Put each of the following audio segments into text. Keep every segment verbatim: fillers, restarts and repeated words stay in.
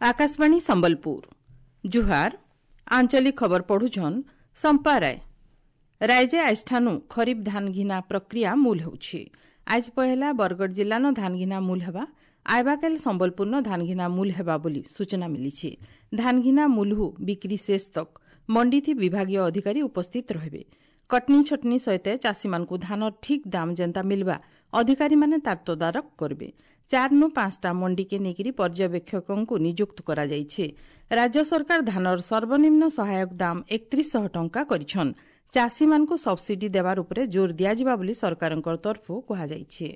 ଆକାଶବାଣୀ ସମ୍ବଲପୁର ଜୁହାର ଆଞ୍ଚଳିକ ଖବର ପଢୁଛନ୍ ସମ୍ପା ରାୟ ରାଇଜେ ଆଜିଠାନୁ ଖରିଫ ଧାନ ଘିନା ପ୍ରକ୍ରିୟା ମୂଲ ହେଉଛି ଆଜ ପହେଲା ବରଗଡ଼ ଜିଲ୍ଲାନ ଧାନ ଘିନା ମୂଲ ହେବା ଆଇବାକାଲ ସମ୍ବଲପୁରନ ଧାନ ଘିନା ମୂଲ ହେବା ବୋଲି ସୂଚନା ମିଳିଛି ଧାନ ଘିନା ମୂଲହୁ ବିକ୍ରି ଶେଷ ତକ ମଣ୍ଡିଥି ବିଭାଗୀୟ ଅଧିକାରୀ ଉପସ୍ଥିତ ରହିବେ କଟନୀ ଛଟନୀ ସହିତ ଚାଷୀମାନଙ୍କୁ ଧାନର ଠିକ୍ ଦାମ ଯେନ୍ତା ମିଲବା ଅଧିକାରୀମାନେ ତାର ତଦାରଖ କରିବେ ଚାରିନୁ ପାଞ୍ଚଟା ମଣ୍ଡିକେ ନେଇକରି ପର୍ଯ୍ୟବେକ୍ଷକଙ୍କୁ ନିଯୁକ୍ତ କରାଯାଇଛି ରାଜ୍ୟ ସରକାର ଧାନର ସର୍ବନିମ୍ନ ସହାୟକ ଦାମ ଏକତ୍ରିଶ ଶହ ଟଙ୍କା କରିଛନ୍ ଚାଷୀମାନଙ୍କୁ ସବସିଡି ଦେବାର ଉପରେ ଜୋର ଦିଆଯିବା ବୋଲି ସରକାରଙ୍କ ତରଫରୁ କୁହାଯାଇଛି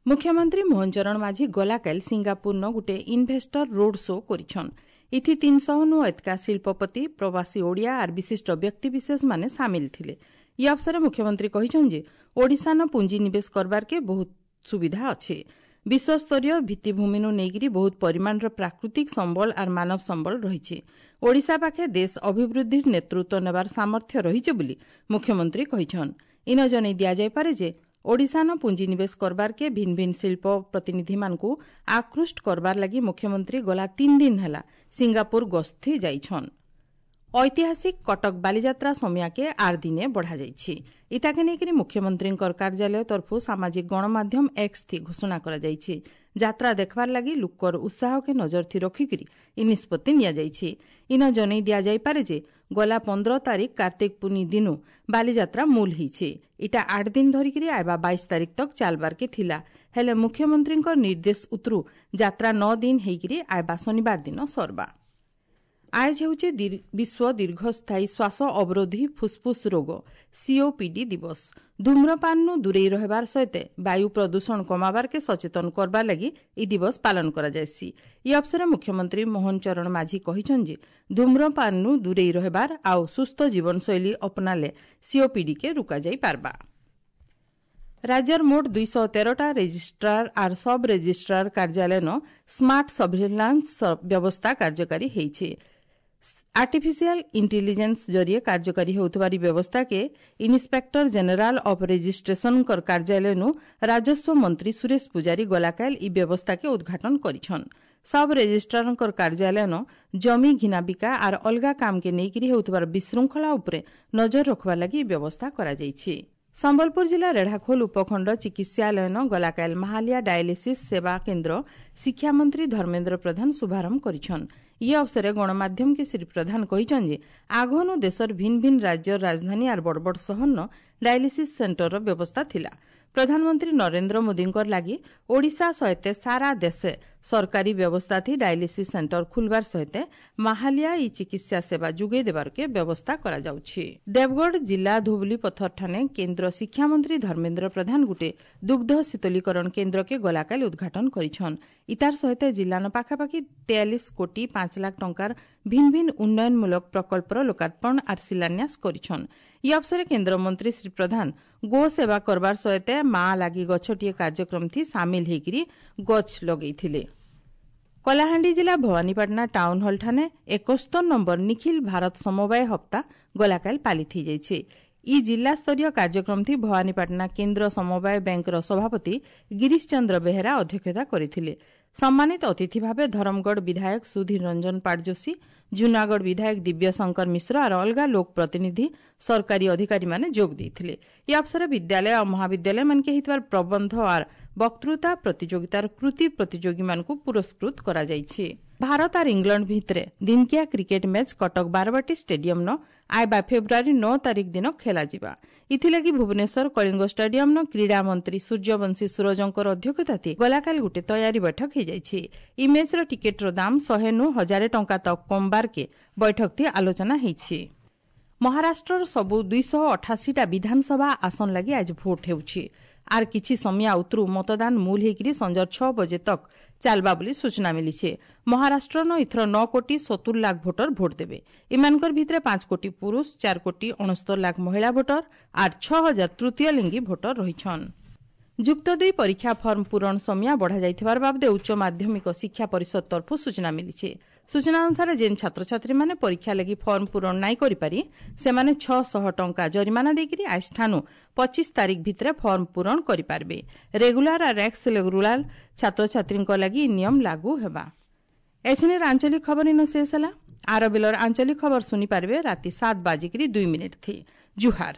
ମୁଖ୍ୟମନ୍ତ୍ରୀ ମୋହନ ଚରଣ ମାଝୀ ଗଲାକାଲି ସିଙ୍ଗାପୁରନ ଗୋଟିଏ ଇନଭେଷ୍ଟର ରୋଡ୍ ଶୋ କରିଛନ୍ ଇଥି ତିନିଶହ ନୁ ଏତକା ଶିଳ୍ପପତି ପ୍ରବାସୀ ଓଡ଼ିଆ ଆର୍ ବିଶିଷ୍ଟ ବ୍ୟକ୍ତିବିଶେଷମାନେ ସାମିଲ ଥିଲେ ଇ ଅବସରେ ମୁଖ୍ୟମନ୍ତ୍ରୀ କହିଛନ୍ତି ଯେ ଓଡ଼ିଶାନ ପୁଞ୍ଜିନିବେଶ କରବାର୍କେ ବହୁତ ସୁବିଧା ଅଛି ବିଶ୍ୱସ୍ତରୀୟ ଭିତ୍ତିଭୂମିନୁ ନେଇକରି ବହୁତ ପରିମାଣର ପ୍ରାକୃତିକ ସମ୍ବଳ ଆର୍ ମାନବ ସମ୍ବଳ ରହିଛି ଓଡ଼ିଶା ପାଖେ ଦେଶ ଅଭିବୃଦ୍ଧିର ନେତୃତ୍ୱ ନେବାର ସାମର୍ଥ୍ୟ ରହିଛି ବୋଲି ମୁଖ୍ୟମନ୍ତ୍ରୀ କହିଛନ୍ ଇନ ଜଣେଇ ଦିଆଯାଇପାରେ ଯେ ଓଡ଼ିଶାନ ପୁଞ୍ଜିନିବେଶ କରବାର୍କେ ଭିନ୍ ଭିନ୍ ଶିଳ୍ପ ପ୍ରତିନିଧିମାନଙ୍କୁ ଆକୃଷ୍ଟ କରବାର ଲାଗି ମୁଖ୍ୟମନ୍ତ୍ରୀ ଗଲା ତିନି ଦିନ ହେଲା ସିଙ୍ଗାପୁର ଗସ୍ତି ଯାଇଛନ୍ ଐତିହାସିକ କଟକ ବାଲିଯାତ୍ରା ସମିଆକେ ଆର୍ ଦିନେ ବଢ଼ାଯାଇଛି ଇତାକେ ନେଇକରି ମୁଖ୍ୟମନ୍ତ୍ରୀଙ୍କର କାର୍ଯ୍ୟାଳୟ ତରଫରୁ ସାମାଜିକ ଗଣମାଧ୍ୟମ ଏକ୍ସ ଥି ଘୋଷଣା କରାଯାଇଛି ଯାତ୍ରା ଦେଖବାର ଲାଗି ଲୋକର ଉତ୍ସାହକେ ନଜର ଥି ରଖିକରି ଇ ନିଷ୍ପତ୍ତି ନିଆଯାଇଛି ଇନ ଜଣେଇ ଦିଆଯାଇପାରେ ଯେ ଗଲା ପନ୍ଦର ତାରିଖ କାର୍ତ୍ତିକ ପୁନି ଦିନୁ ବାଲିଯାତ୍ରା ମୂଲ ହେଇଛି ଇଟା ଆଠ ଦିନ ଧରିକିରି ଆଇବା ବାଇଶ ତାରିଖ ତକ ଚାଲବାର୍କେ ଥିଲା ହେଲେ ମୁଖ୍ୟମନ୍ତ୍ରୀଙ୍କ ନିର୍ଦ୍ଦେଶ ଉତରୁ ଯାତ୍ରା ନଅ ଦିନ ହେଇକିରି ଆଇବା ଶନିବାର ଦିନ ସରବା ଆଜ ହେଉଛି ବିଶ୍ୱ ଦୀର୍ଘସ୍ଥାୟୀ ଶ୍ୱାସ ଅବରୋଧୀ ଫୁସ୍ଫୁସ୍ ରୋଗ ସିଓପିଡି ଦିବସ ଧୂମ୍ରପାନରୁ ଦୂରେଇ ରହିବାର ସହିତ ବାୟୁ ପ୍ରଦୂଷଣ କମାବାର୍କେ ସଚେତନ କରବାର ଲାଗି ଇ ଦିବସ ପାଳନ କରାଯାଏସି ଇ ଅବସରେ ମୁଖ୍ୟମନ୍ତ୍ରୀ ମୋହନ ଚରଣ ମାଝୀ କହିଛନ୍ତି ଯେ ଧୂମ୍ରପାନରୁ ଦୂରେଇ ରହିବାର ଆଉ ସୁସ୍ଥ ଜୀବନଶୈଳୀ ଅପନାଲେ ସିଓପିଡିକେ ରୋକାଯାଇ ପାରବା ରାଜ୍ୟର ମୋଟ ଦୁଇଶହ ତେରଟା ରେଜିଷ୍ଟ୍ରାର ଆର୍ ସବ୍ ରେଜିଷ୍ଟ୍ରାର କାର୍ଯ୍ୟାଳୟନ ସ୍ମାର୍ଟ ସର୍ଭିଲାନ୍ସ ବ୍ୟବସ୍ଥା କାର୍ଯ୍ୟକାରୀ ହେଇଛି ଆର୍ଟିଫିସିଆଲ ଇଣ୍ଟେଲିଜେନ୍ସ ଜରିଏ କାର୍ଯ୍ୟକାରୀ ହେଉଥିବାର ବ୍ୟବସ୍ଥାକେ ଇନ୍ସପେକ୍ଟର ଜେନେରାଲ ଅଫ୍ ରେଜିଷ୍ଟ୍ରେସନଙ୍କର କାର୍ଯ୍ୟାଳୟନୁ ରାଜସ୍ୱ ମନ୍ତ୍ରୀ ସୁରେଶ ପୂଜାରୀ ଗଲାକାଲ ଇ ବ୍ୟବସ୍ଥାକେ ଉଦ୍ଘାଟନ କରିଛନ୍ ସବ୍ ରେଜିଷ୍ଟ୍ରାରଙ୍କର କାର୍ଯ୍ୟାଳୟନ ଜମି ଘିନାବିକା ଆର୍ ଅଲଗା କାମକେ ନେଇକରି ହେଉଥିବାର ବିଶୃଙ୍ଖଳା ଉପରେ ନଜର ରଖବା ଲାଗି ଇ ବ୍ୟବସ୍ଥା କରାଯାଇଛି ସମ୍ବଲପୁର ଜିଲ୍ଲା ରେଢ଼ାଖୋଲ ଉପଖଣ୍ଡ ଚିକିତ୍ସାଳୟନ ଗଲାକାଲ ମାହାଲିଆ ଡାୟାଲିସିସ୍ ସେବା କେନ୍ଦ୍ର ଶିକ୍ଷାମନ୍ତ୍ରୀ ଧର୍ମେନ୍ଦ୍ର ପ୍ରଧାନ ଶୁଭାରମ୍ଭ କରିଛନ୍ ଇ ଅବସରେ ଗଣମାଧ୍ୟମକେ ଶ୍ରୀ ପ୍ରଧାନ କହିଛନ୍ତି ଯେ ଆଗନୁ ଦେଶର ଭିନ୍ ଭିନ୍ ରାଜ୍ୟର ରାଜଧାନୀ ଆର୍ ବଡ଼ ବଡ଼ ସହରନ ଡାୟାଲିସିସ୍ ସେଣ୍ଟରର ବ୍ୟବସ୍ଥା ଥିଲା ପ୍ରଧାନମନ୍ତ୍ରୀ ନରେନ୍ଦ୍ର ମୋଦୀଙ୍କର ଲାଗି ଓଡ଼ିଶା ସହିତ ସାରା ଦେଶେ ସରକାରୀ ବ୍ୟବସ୍ଥା ଥି ଡାୟାଲିସିସ୍ ସେଣ୍ଟର ଖୁଲବାର ସହିତ ମାହାଲିଆ ଇ ଚିକିତ୍ସା ସେବା ଯୋଗାଇ ଦେବାରକେ ବ୍ୟବସ୍ଥା କରାଯାଉଛି ଦେବଗଡ଼ ଜିଲ୍ଲା ଧୁବଲି ପଥରଠାନେ କେନ୍ଦ୍ର ଶିକ୍ଷାମନ୍ତ୍ରୀ ଧର୍ମେନ୍ଦ୍ର ପ୍ରଧାନ ଗୁଟେ ଦୁଗ୍ଧ ଶୀତଳୀକରଣ କେନ୍ଦ୍ରକେ ଗଲାକାଲି ଉଦ୍ଘାଟନ କରିଛନ୍ ଇତାର ସହିତ ଜିଲ୍ଲାନ ପାଖାପାଖି ତେୟାଳିଶ କୋଟି ପାଞ୍ଚ ଲାଖ ଟଙ୍କାର ଭିନ୍ ଭିନ୍ ଉନ୍ନୟନମୂଳକ ପ୍ରକଳ୍ପର ଲୋକାର୍ପଣ ଆର୍ ଶିଳାନ୍ୟାସ କରିଛନ୍ ଇ ଅବସରେ କେନ୍ଦ୍ରମନ୍ତ୍ରୀ ଶ୍ରୀ ପ୍ରଧାନ ଗୋ ସେବା କରବାର ସହିତ ମା ଲାଗି ଗଛଟିଏ କାର୍ଯ୍ୟକ୍ରମ ଥି ସାମିଲ ହେଇକିରି ଗଛ ଲଗେଇଥିଲେ କଳାହାଣ୍ଡି ଜିଲ୍ଲା ଭବାନୀପାଟଣା ଟାଉନ୍ ହଲ୍ଠାନେ ଏକସ୍ତର ନମ୍ବର ନିଖିଲ ଭାରତ ସମବାୟ ହପ୍ତା ଗଲାକାଲି ପାଳିତ ହେଇଯାଇଛି ଇ ଜିଲ୍ଲାସ୍ତରୀୟ କାର୍ଯ୍ୟକ୍ରମ ଥି ଭବାନୀପାଟଣା କେନ୍ଦ୍ର ସମବାୟ ବ୍ୟାଙ୍କର ସଭାପତି ଗିରୀଶ ଚନ୍ଦ୍ର ବେହେରା ଅଧ୍ୟକ୍ଷତା କରିଥିଲେ ସମ୍ମାନିତ ଅତିଥି ଭାବେ ଧରମଗଡ଼ ବିଧାୟକ ସୁଧୀର ରଞ୍ଜନ ପାଟଯୋଶୀ ଜୁନାଗଡ଼ ବିଧାୟକ ଦିବ୍ୟଶଙ୍କର ମିଶ୍ର ଆର୍ ଅଲଗା ଲୋକ ପ୍ରତିନିଧି ସରକାରୀ ଅଧିକାରୀମାନେ ଯୋଗ ଦେଇଥିଲେ ଇ ଅବସରେ ବିଦ୍ୟାଳୟ ଆଉ ମହାବିଦ୍ୟାଳୟମାନକେ ହେଇଥିବାର ପ୍ରବନ୍ଧ ଆର୍ ବକ୍ତୃତା ପ୍ରତିଯୋଗିତାର କୃତି ପ୍ରତିଯୋଗୀମାନଙ୍କୁ ପୁରସ୍କୃତ କରାଯାଇଛି ଭାରତ ଆର୍ ଇଂଲଣ୍ଡ ଭିତରେ ଦିନକିଆ କ୍ରିକେଟ ମ୍ୟାଚ୍ କଟକ ବାରବାଟୀ ଷ୍ଟାଡିୟମ୍ନ ଆଇବା ଫେବୃଆରୀ ନଅ ତାରିଖ ଦିନ ଖେଳାଯିବା ଇଥିଲାଗି ଭୁବନେଶ୍ୱର କଳିଙ୍ଗ ଷ୍ଟାଡିୟମ୍ନ କ୍ରୀଡ଼ା ମନ୍ତ୍ରୀ ସୂର୍ଯ୍ୟବଂଶୀ ସୂରଜଙ୍କର ଅଧ୍ୟକ୍ଷତାଥି ଗଲାକାଲି ଗୋଟେ ତୟାରୀ ବୈଠକ ହେଇଯାଇଛି ଇ ମ୍ୟାଚ୍ର ଟିକେଟ୍ର ଦାମ ଶହେ ନୁ ହଜାରେ ଟଙ୍କା ତକ୍ କମବାର୍କେ ବୈଠକଥି ଆଲୋଚନା ହେଇଛି ମହାରାଷ୍ଟ୍ରର ସବୁ ଦୁଇଶହ ଅଠାଅଶୀଟା ବିଧାନସଭା ଆସନ ଲାଗି ଆଜି ଭୋଟ ହେଉଛି ଆର୍ କିଛି ସମିଆ ଉତରୁ ମତଦାନ ମୂଲ ହେଇକିରି ସଞ୍ଜ ଛଅ ବଜେ ତକ୍ ଚାଲବା ବୋଲି ସୂଚନା ମିଳିছে ମହାରାଷ୍ଟ୍ରନ ଏଥର ନଅ କୋଟି ସତୁର ଲାଖ ଭୋଟର ଭୋଟ ଦେବେ ଏମାନଙ୍କର ଭିତରେ ପାଞ୍ଚ କୋଟି ପୁରୁଷ ଚାରି କୋଟି ଅଣସ୍ତର ଲାଖ ମହିଳା ଭୋଟର ଆର୍ ଛଅ ହଜାର ତୃତୀୟ ଲିଙ୍ଗୀ ଭୋଟର ରହିଛନ୍ ଯୁକ୍ତ ଦୁଇ ପରୀକ୍ଷା ଫର୍ମ ପୂରଣ ସମିଆ ବଢ଼ାଯାଇଥିବାର ବାବଦେ ଉଚ୍ଚ ମାଧ୍ୟମିକ ଶିକ୍ଷା ପରିଷଦ ତରଫରୁ ସୂଚନା ମିଳିଛି ସୂଚନା ଅନୁସାରେ ଯେନ୍ ଛାତ୍ରଛାତ୍ରୀମାନେ ପରୀକ୍ଷା ଲାଗି ଫର୍ମ ପୂରଣ ନାଇଁ କରିପାରି ସେମାନେ ଛଅଶହ ଟଙ୍କା ଜରିମାନା ଦେଇକରି ଆଜିଠାନୁ ପଚିଶ ତାରିଖ ଭିତରେ ଫର୍ମ ପୂରଣ କରିପାରିବେ ରେଗୁଲାର ଆର୍ ଏକ୍ସ ରେଗୁଲାର ଛାତ୍ରଛାତ୍ରୀଙ୍କ ଲାଗି ନିୟମ ଲାଗୁ ହେବା ଏଛିନେର ଆଞ୍ଚଳିକ ଖବର ଇନ ଶେଷ ହେଲା। ଆର ବେଲର ଆଞ୍ଚଳିକ ଖବର ଶୁଣିପାରିବେ ରାତି ସାତ ବାଜିକିରି ଦୁଇ ମିନିଟ୍ ଥି। ଜୁହାର।